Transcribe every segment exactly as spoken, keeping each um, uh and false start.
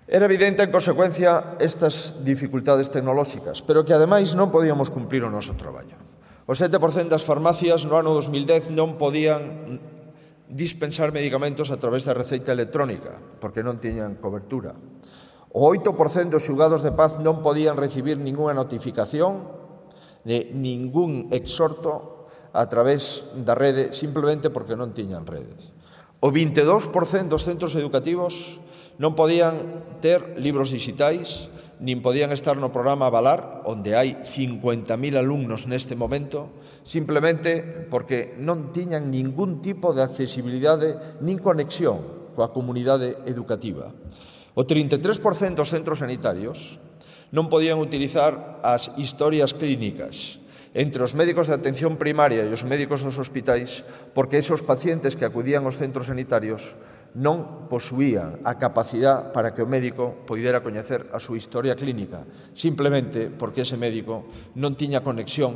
Era evidente, en consecuencia, estas dificultades tecnolóxicas, pero que, ademais, non podíamos cumprir o noso traballo. O sete por cento das farmacias no ano dos mil dez non podían dispensar medicamentos a través da receita electrónica, porque non tiñan cobertura. O oito por cento dos xulgados de paz non podían recibir ningunha notificación, ni ningún exhorto a través da rede, simplemente porque non tiñan rede. O vinte e dous por cento dos centros educativos non podían ter libros digitais, nin podían estar no programa Avalar, onde hai cincuenta mil alumnos neste momento, simplemente porque non tiñan ningún tipo de accesibilidade nin conexión coa comunidade educativa. O trinta e tres por cento dos centros sanitarios non podían utilizar as historias clínicas entre os médicos de atención primaria e os médicos dos hospitais, porque esos pacientes que acudían aos centros sanitarios non posuían a capacidade para que o médico poidera coñecer a súa historia clínica, simplemente porque ese médico non tiña conexión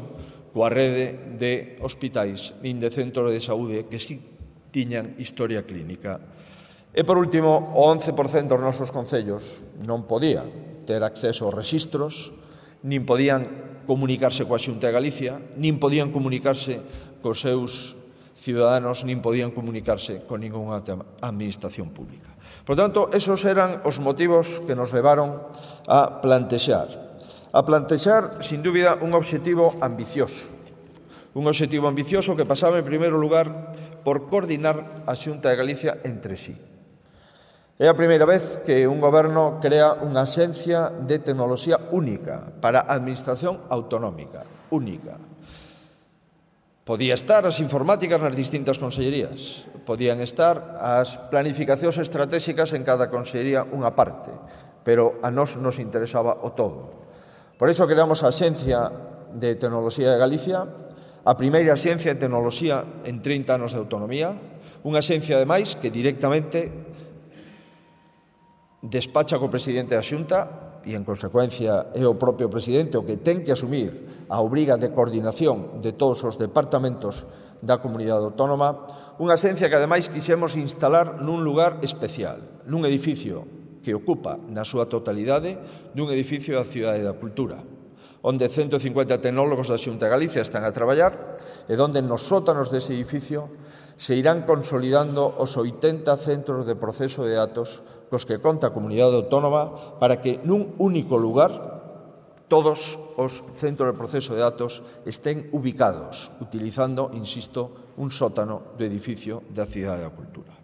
coa rede de hospitais nin de centros de saúde que sí tiñan historia clínica. E, por último, o once por cento dos nosos concellos non podían ter acceso aos rexistros, nin podían comunicarse coa Xunta de Galicia, nin podían comunicarse cos seus ciudadanos, nin podían comunicarse con ningunha administración pública. Por tanto, esos eran os motivos que nos levaron a plantexar. A plantexar, sin dúbida, un obxectivo ambicioso. Un obxectivo ambicioso que pasaba, en primeiro lugar, por coordinar a Xunta de Galicia entre sí. É a primeira vez que un goberno crea unha axencia de tecnoloxía única para a administración autonómica, única. Podía estar as informáticas nas distintas consellerías, podían estar as planificacións estratégicas en cada consellería unha parte, pero a nós nos interesaba o todo. Por iso creamos a Axencia de Tecnoloxía de Galicia, a primeira axencia de tecnoloxía en trinta anos de autonomía, unha axencia, ademais, que directamente despacha co presidente da Xunta e, en consecuencia, é o propio presidente o que ten que asumir a obriga de coordinación de todos os departamentos da comunidade autónoma, unha axencia que, ademais, quixemos instalar nun lugar especial, nun edificio que ocupa na súa totalidade dun edificio da Cidade da Cultura, onde ciento cincuenta tecnólogos da Xunta de Galicia están a traballar e onde nos sótanos dese edificio se irán consolidando os oitenta centros de proceso de datos cos que conta a comunidade autónoma para que nun único lugar todos os centros de proceso de datos estén ubicados, utilizando, insisto, un sótano do edificio da Cidade da Cultura.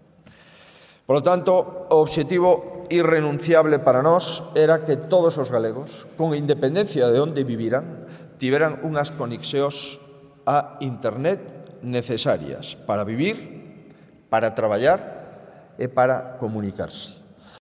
Por lo tanto, o obxectivo irrenunciable para nós era que todos os galegos, con independencia de onde viviran, tiveran unhas conexións a Internet necesarias para vivir, para traballar e para comunicarse.